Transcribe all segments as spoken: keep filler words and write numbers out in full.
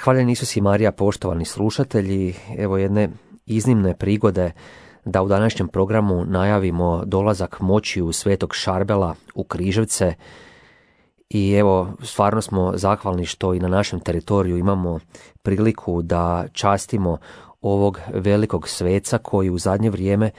Hvaljen Isus i Marija, poštovani slušatelji, evo jedne iznimne prigode da u današnjem programu najavimo dolazak moćiju Svetog Šarbela u Križevce. I evo, stvarno smo zahvalni što i na našem teritoriju imamo priliku da častimo ovog velikog sveca koji u zadnje vrijeme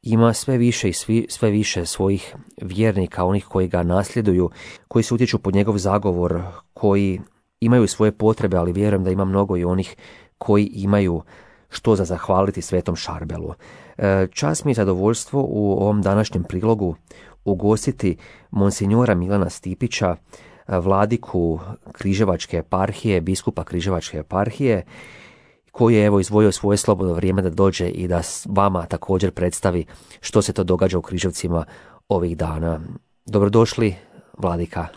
ima sve više i svi, sve više svojih vjernika, onih koji ga nasljeduju, koji se utječu pod njegov zagovor, koji imaju svoje potrebe, ali vjerujem da ima mnogo i onih koji imaju što za zahvaliti Svetom Šarbelu. Čast mi je zadovoljstvo u ovom današnjem prilogu ugostiti monsinjora Milana Stipića, vladiku Križevačke eparhije, biskupa Križevačke eparhije, koji je evo izdvojio svoje slobodno vrijeme da dođe i da vama također predstavi što se to događa u Križevcima ovih dana. Dobrodošli, vladika.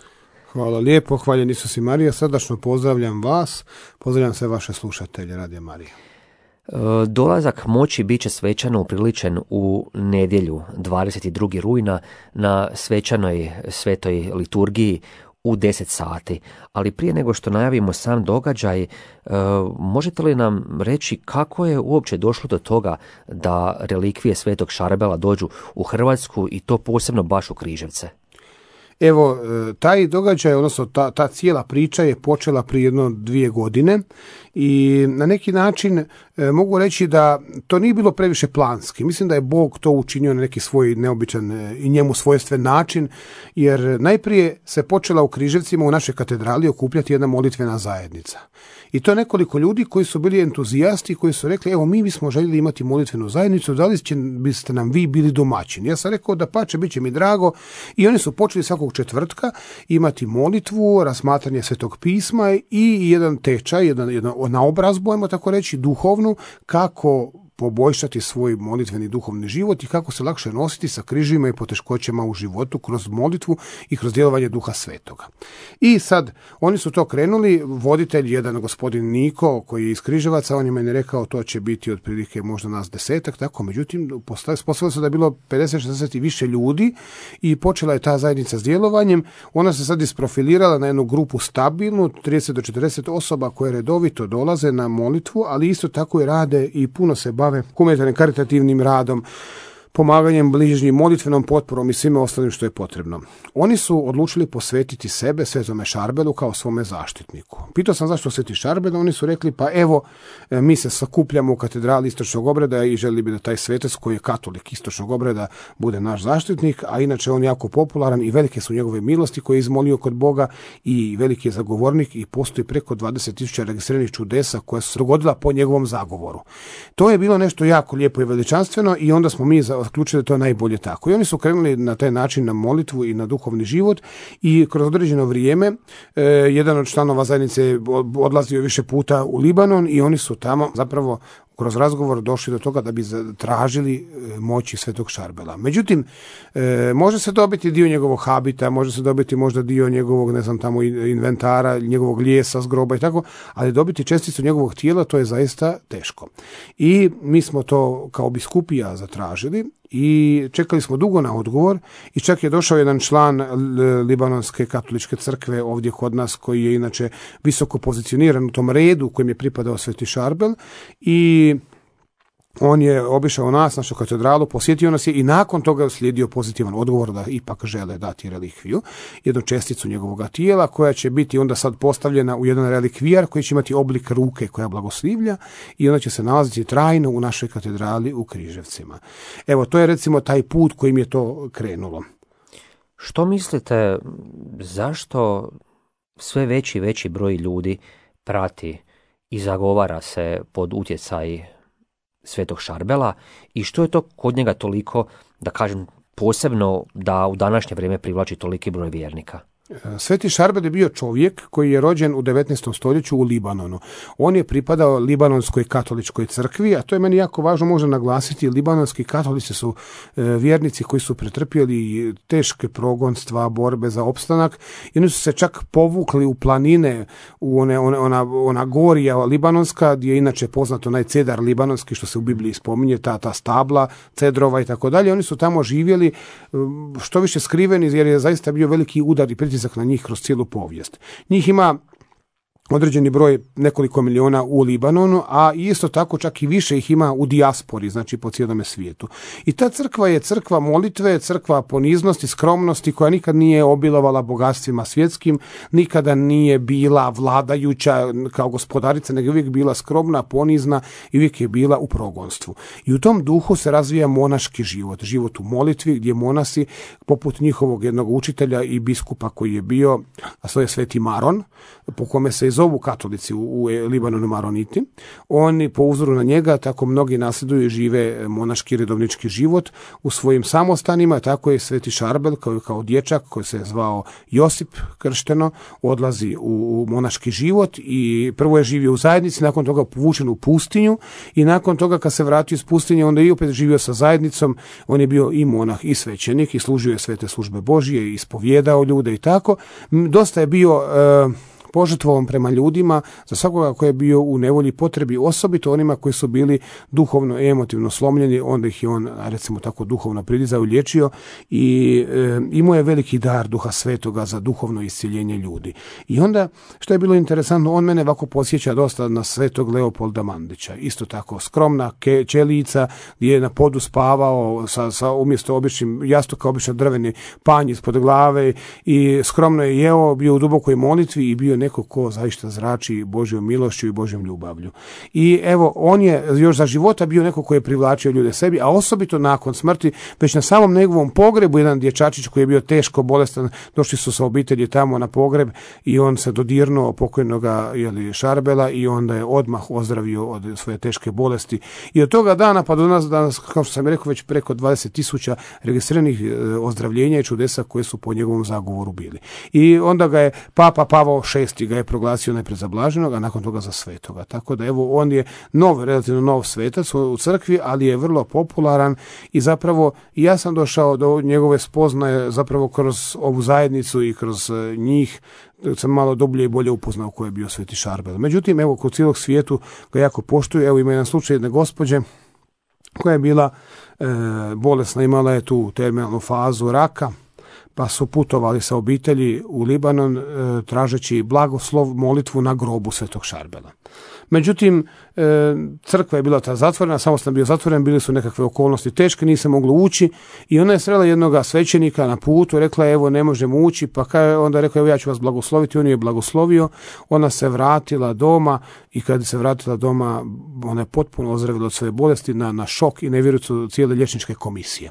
Hvala lijepo, hvaljen Isus i Marija, srdačno pozdravljam vas, pozdravljam sve vaše slušatelje Radija Marija. Dolazak moći bit će svečano upriličen u nedjelju dvadeset drugog rujna na svečanoj svetoj liturgiji u deset sati. Ali prije nego što najavimo sam događaj, možete li nam reći kako je uopće došlo do toga da relikvije Svetog Šarbela dođu u Hrvatsku i to posebno baš u Križevce? Evo, taj događaj, odnosno ta, ta cijela priča je počela prije jedno dvije godine i na neki način e, mogu reći da to nije bilo previše planski. Mislim da je Bog to učinio na neki svoj neobičan e, i njemu svojstven način, jer najprije se počela u Križevcima u našoj katedrali okupljati jedna molitvena zajednica. I to je nekoliko ljudi koji su bili entuzijasti, koji su rekli, evo mi bismo željeli imati molitvenu zajednicu, da li će, biste nam vi bili domaćini? Ja sam rekao da pače, bit će mi drago, i oni su počeli svakog četvrtka imati molitvu, razmatranje Svetog pisma i jedan tečaj, jedan, jedan naobrazbu, ajmo tako reći, duhovnu, kako poboljšati svoj molitveni duhovni život i kako se lakše nositi sa križima i poteškoćama u životu kroz molitvu i kroz djelovanje Duha Svetoga. I sad, oni su to krenuli, voditelj, jedan gospodin Niko, koji je iz Križevaca, on je meni rekao to će biti otprilike možda nas desetak, tako, međutim, postavilo se da je bilo pedeset šezdeset i više ljudi i počela je ta zajednica s djelovanjem. Ona se sad isprofilirala na jednu grupu stabilnu, trideset do četrdeset osoba koje redovito dolaze na molitvu, ali isto tako i rade i puno se bave humanitarnim karitativnim radom, pomaganjem bližnjim, molitvenom potporom i svime ostalim što je potrebno. Oni su odlučili posvetiti sebe Svetome Šarbelu kao svome zaštitniku. Pitao sam zašto Sveti Šarbel, oni su rekli pa evo mi se sakupljamo u katedrali Istočnog obreda i želi bi da taj svetac koji je katolik Istočnog obreda bude naš zaštitnik, a inače on jako popularan i velike su njegove milosti koje je izmolio kod Boga i veliki je zagovornik i postoji preko dvadeset tisuća registriranih čudesa koja su se dogodila po njegovom zagovoru. To je bilo nešto jako lijepo i veličanstveno i onda smo mi zaključili da to je najbolje tako. I oni su krenuli na taj način na molitvu i na duhovni život i kroz određeno vrijeme e, jedan od članova zajednice odlazio više puta u Libanon i oni su tamo zapravo kroz razgovor došli do toga da bi tražili moći Svetog Šarbela. Međutim, e, može se dobiti dio njegovog habita, može se dobiti možda dio njegovog, ne znam, tamo inventara, njegovog lijesa, zgroba i tako, ali dobiti česticu njegovog tijela, to je zaista teško. I mi smo to kao biskupija zatražili i čekali smo dugo na odgovor i čak je došao jedan član Libanonske katoličke crkve ovdje kod nas koji je inače visoko pozicioniran u tom redu u kojem je pripadao Sveti Šarbel i on je obišao nas, našu katedralu, posjetio nas je i nakon toga je uslijedio pozitivan odgovor da ipak žele dati relikviju, jednu česticu njegovog tijela koja će biti onda sad postavljena u jedan relikvijar koji će imati oblik ruke koja blagoslivlja i ona će se nalaziti trajno u našoj katedrali u Križevcima. Evo, to je recimo taj put kojim je to krenulo. Što mislite, zašto sve veći i veći broj ljudi prati i zagovara se pod utjecaj Svetog Šarbela i što je to kod njega toliko, da kažem, posebno da u današnje vrijeme privlači toliki broj vjernika? Sveti Šarbel je bio čovjek koji je rođen u devetnaestom stoljeću u Libanonu. On je pripadao Libanonskoj katoličkoj crkvi, a to je meni jako važno možda naglasiti. Libanonski katolici su e, vjernici koji su pretrpjeli teške progonstva, borbe za opstanak i oni su se čak povukli u planine, u one, one, ona, ona gorija libanonska, gdje je inače poznato onaj cedar libanonski što se u Bibliji spominje, ta, ta stabla, cedrova i tako dalje. Oni su tamo živjeli što više skriveni jer je zaista bio veliki udar i pritisak na njih kroz cijelu povijest. Njih ima određeni broj, nekoliko miliona u Libanonu, a isto tako čak i više ih ima u dijaspori, znači po cijelome svijetu. I ta crkva je crkva molitve, crkva poniznosti, skromnosti, koja nikad nije obilovala bogatstvima svjetskim, nikada nije bila vladajuća kao gospodarica, nego uvijek bila skromna, ponizna i uvijek je bila u progonstvu. I u tom duhu se razvija monaški život, život u molitvi, gdje monasi, poput njihovog jednog učitelja i biskupa koji je bio, a to je Sveti Maron, po kome se zovu katolici u, u Libanonu Maroniti. Oni po uzoru na njega tako mnogi nasljeduju i žive monaški redovnički život u svojim samostanima. Tako je Sveti Šarbel kao, kao dječak koji se je zvao Josip kršteno, odlazi u, u monaški život i prvo je živio u zajednici, nakon toga povučen u pustinju i nakon toga kad se vratio iz pustinje onda i opet živio sa zajednicom. On je bio i monah i svećenik i služio je svete službe Božije i ispovjedao ljude i tako. Dosta je bio e, požrtvovan prema ljudima, za svakoga koji je bio u nevolji potrebi, osobito onima koji su bili duhovno i emotivno slomljeni, onda ih je on, recimo tako, duhovno pridizao i liječio i e, imao je veliki dar Duha Svetoga za duhovno iscjeljenje ljudi. I onda, što je bilo interesantno, on mene ovako podsjeća dosta na svetog Leopolda Mandića. Isto tako, skromna ke, čelica, gdje je na podu spavao sa, sa umjesto običnim jastuka, obično drveni panj ispod glave i skromno je jeo, bio u dubokoj molitvi i bio neko ko zaista zrači Božjom milošću i Božjom ljubavlju. I evo, on je još za života bio neko koji je privlačio ljude sebi, a osobito nakon smrti, već na samom njegovom pogrebu, jedan dječačić koji je bio teško bolestan, došli su sa obitelji tamo na pogreb i on se dodirnuo pokojnoga jeli, Šarbela i onda je odmah ozdravio od svoje teške bolesti. I od toga dana pa do nas danas, kao što sam rekao, već preko dvadeset tisuća registriranih ozdravljenja i čudesa koje su po njegovom zagovoru bili. I onda ga je Papa Pavao šesti ga je proglasio najprije za blaženog, a nakon toga za svetoga. Tako da evo, on je nov, relativno nov svetac u crkvi, ali je vrlo popularan i zapravo ja sam došao do njegove spoznaje zapravo kroz ovu zajednicu i kroz njih sam malo dublje i bolje upoznao ko je bio Sveti Šarbel. Međutim, evo, kod cijelog svijetu ga jako poštuju. Evo, ima jedan slučaj jedne gospođe koja je bila e, bolesna, imala je tu terminalnu fazu raka, pa su putovali sa obitelji u Libanon e, tražeći blagoslov, molitvu na grobu Svetog Šarbela. Međutim, e, crkva je bila ta zatvorena, samostan bio zatvoren, bili su nekakve okolnosti teške, nije se moglo ući i ona je srela jednog svećenika na putu, rekla je evo ne možemo ući, pa kaj, onda rekla evo ja ću vas blagosloviti, on je blagoslovio, ona se vratila doma i kad se vratila doma ona je potpuno ozdravila od svoje bolesti na, na šok i nevjericu cijele liječničke komisije.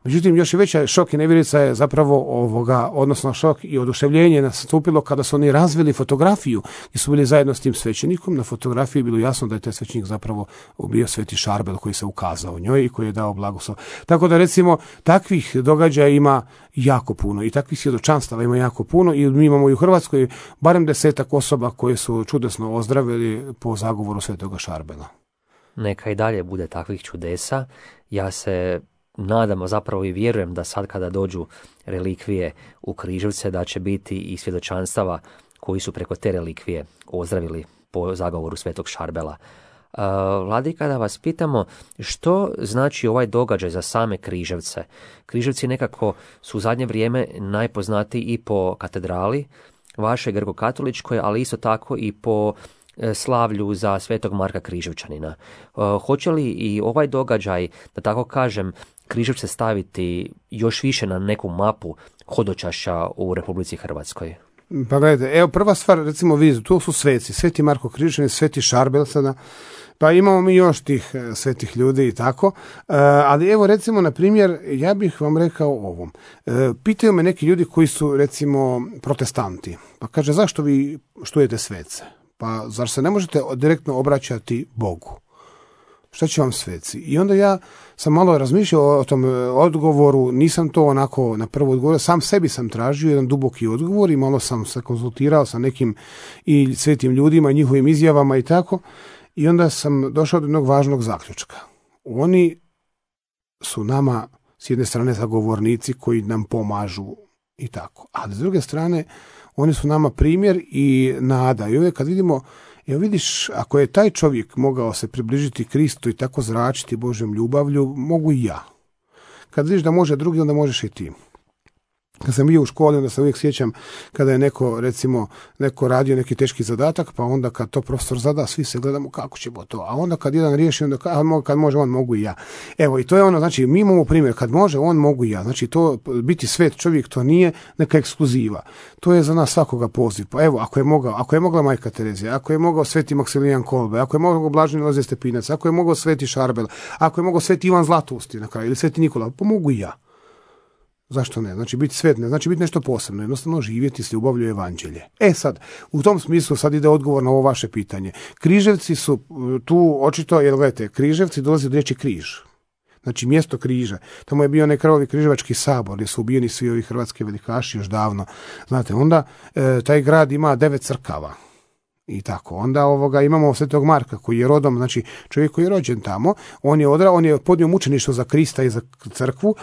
Međutim, još i veća šok i nevjerica je zapravo ovoga, odnosno šok i oduševljenje nastupilo kada su oni razvili fotografiju i su bili zajedno s tim svećenikom. Na fotografiji je bilo jasno da je taj svećenik zapravo bio Sveti Šarbel koji se ukazao njoj i koji je dao blagoslov. Tako da recimo takvih događaja ima jako puno i takvih svjedočanstava ima jako puno i mi imamo i u Hrvatskoj barem desetak osoba koje su čudesno ozdravili po zagovoru Svetoga Šarbela. Neka i dalje bude takvih čudesa. Ja se nadamo, zapravo i vjerujem da sad kada dođu relikvije u Križevce da će biti i svjedočanstava koji su preko te relikvije ozdravili po zagovoru Svetog Šarbela. Uh, Vladika, da vas pitamo što znači ovaj događaj za same Križevce. Križevci nekako su u zadnje vrijeme najpoznatiji i po katedrali vaše grko-katoličkoj, ali isto tako i po slavlju za Svetog Marka Križevčanina. Uh, hoće li i ovaj događaj, da tako kažem, Križevce staviti još više na neku mapu hodočašća u Republici Hrvatskoj? Pa gledajte, evo prva stvar, recimo vidite, tu su sveci, Sveti Marko Križevčanin, Sveti Šarbel sada, pa imamo mi još tih svetih ljudi i tako, uh, ali evo recimo na primjer, ja bih vam rekao ovom. Uh, pitaju me neki ljudi koji su recimo protestanti, pa kaže zašto vi štujete svece? Pa zar se ne možete direktno obraćati Bogu? Šta će vam sveci? I onda ja sam malo razmišljao o tom odgovoru, nisam to onako na prvo odgovorio, sam sebi sam tražio jedan duboki odgovor i malo sam se konzultirao sa nekim i svetim ljudima i njihovim izjavama i tako. I onda sam došao do jednog važnog zaključka. Oni su nama s jedne strane zagovornici koji nam pomažu i tako. Ali s druge strane, oni su nama primjer i nada. I uvijek kad vidimo, evo vidiš, ako je taj čovjek mogao se približiti Kristu i tako zračiti Božjom ljubavlju, mogu i ja. Kad vidiš da može drugi, onda možeš i ti. Kad sam bio u školi, onda se uvijek sjećam kada je neko, recimo, neko radio neki teški zadatak, pa onda kad to profesor zada, svi se gledamo kako ćemo to. A onda kad jedan riješi, onda kad može, on mogu i ja. Evo, i to je ono, znači, mi imamo primjer, kad može, on mogu i ja. Znači, to biti svet čovjek, to nije neka ekskluziva. To je za nas svakoga poziv. Pa evo, ako je mogao, ako je mogla majka Terezija, ako je mogao sveti Maksimilijan Kolbe, ako je mogao Blaženi Lozije Stepinac, ako je mogao sveti Šarbel, ako je mogao sveti Ivan Zlatousti na kraju, ili sveti Nikola, pa mogu i ja. Zašto ne? Znači biti svet ne, znači biti nešto posebno, jednostavno živjeti s ljubavlju evanđelje. E sad, u tom smislu sad ide odgovor na ovo vaše pitanje. Križevci su tu očito, jer gledajte, Križevci dolazi od riječi križ. Znači mjesto križa. Tamo je bio onaj krvavi križevački sabor gdje su ubijeni svi ovi hrvatski velikaši još davno. Znate, onda e, taj grad ima devet crkava. I tako. Onda ovoga imamo Svetog Marka koji je rodom, znači čovjek koji je rođen tamo, on je odra, on je podnio mučeništvo za Krista i za crkvu,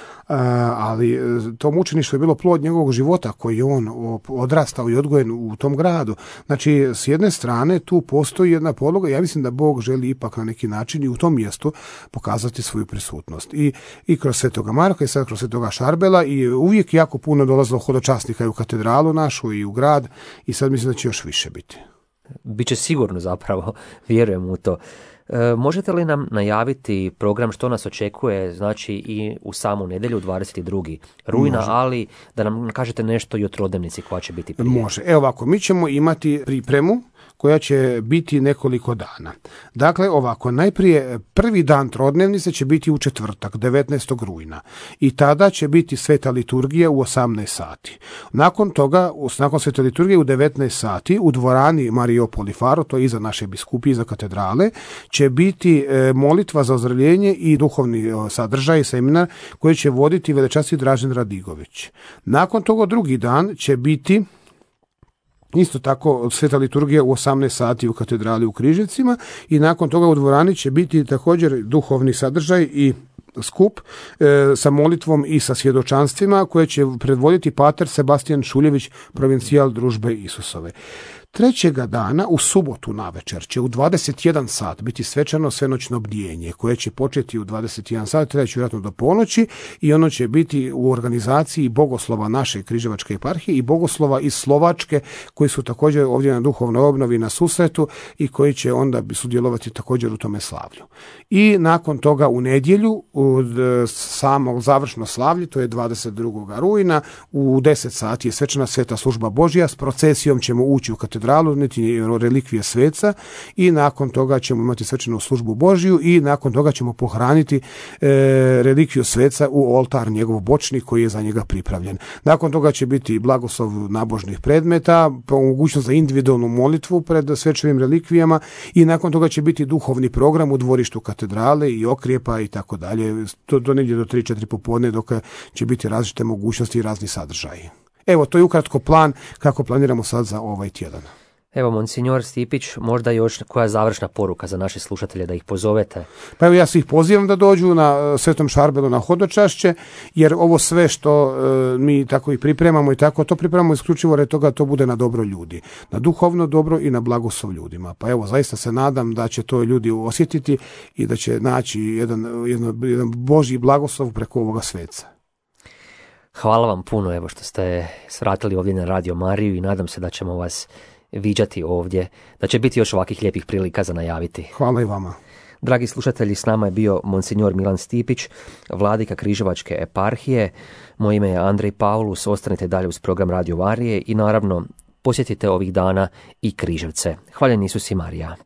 ali to mučeništvo je bilo plod njegovog života koji je on odrastao i odgojen u tom gradu. Znači, s jedne strane tu postoji jedna podloga, ja mislim da Bog želi ipak na neki način i u tom mjestu pokazati svoju prisutnost. I, i kroz Svetoga Marka i sad kroz Svetoga Šarbela i uvijek jako puno dolazilo hodočasnika i u katedralu našu i u grad i sad mislim da će još više biti. Biće sigurno zapravo, vjerujem u to. E, možete li nam najaviti program što nas očekuje, znači i u samu nedjelju dvadeset drugog rujna, Može. Ali da nam kažete nešto i o trodnevnici koja će biti prije. Može. Evo ovako, mi ćemo imati pripremu koja će biti nekoliko dana. Dakle, ovako, najprije prvi dan trodnevnice će biti u četvrtak, devetnaestog rujna. I tada će biti sveta liturgija u osamnaest sati. Nakon toga, nakon svete liturgije u devetnaest sati, u dvorani Mario Polifaro, to je iza naše biskupije, iza katedrale, će biti molitva za ozdravljenje i duhovni sadržaj, seminar, koji će voditi velečasni Dražen Radigović. Nakon toga drugi dan će biti isto tako sveta liturgija u osamnaest sati u katedrali u Križevcima i nakon toga u dvorani će biti također duhovni sadržaj i skup e, sa molitvom i sa svjedočanstvima koje će predvoditi pater Sebastijan Šuljević, provincijal Družbe Isusove. Trećega dana, u subotu navečer, će u dvadeset jedan sat biti svečano svenoćno bdjenje, koje će početi u dvadeset jedan sat, treći vjerojatno do ponoći, i ono će biti u organizaciji bogoslova naše Križevačke eparhije i bogoslova iz Slovačke, koji su također ovdje na duhovnoj obnovi na susretu i koji će onda sudjelovati također u tome slavlju. I nakon toga u nedjelju, u samog završno slavlje, to je dvadeset drugog rujna, u deset sati je svečana sveta služba Božja, s procesijom ćemo ući u katedralu, niti relikvije sveca, i nakon toga ćemo imati svečanu službu Božju i nakon toga ćemo pohraniti e, relikviju sveca u oltar njegov bočni koji je za njega pripravljen. Nakon toga će biti blagoslov nabožnih predmeta, mogućnost za individualnu molitvu pred svečanim relikvijama i nakon toga će biti duhovni program u dvorištu katedrale i okrijepa i tako dalje. To do negdje do tri četiri popodne dok će biti različite mogućnosti i razni sadržaji. Evo, to je ukratko plan kako planiramo sad za ovaj tjedan. Evo, monsignor Stipić, možda još koja završna poruka za naše slušatelje da ih pozovete? Pa evo, ja svih pozivam da dođu na Svetom Šarbelu na hodočašće, jer ovo sve što e, mi tako i pripremamo i tako, to pripremamo isključivo radi toga to bude na dobro ljudi, na duhovno dobro i na blagoslov ljudima. Pa evo, zaista se nadam da će to ljudi osjetiti i da će naći jedan, jedan, jedan Božji blagoslov preko ovoga sveca. Hvala vam puno, evo, što ste svratili ovdje na Radio Mariju i nadam se da ćemo vas viđati ovdje, da će biti još ovakvih lijepih prilika za najaviti. Hvala i vama. Dragi slušatelji, s nama je bio monsignor Milan Stipić, vladika Križevačke eparhije. Moje ime je Andrej Paulus, ostanite dalje uz program Radio Marije i naravno posjetite ovih dana i Križevce. Hvaljen Isus i Marija.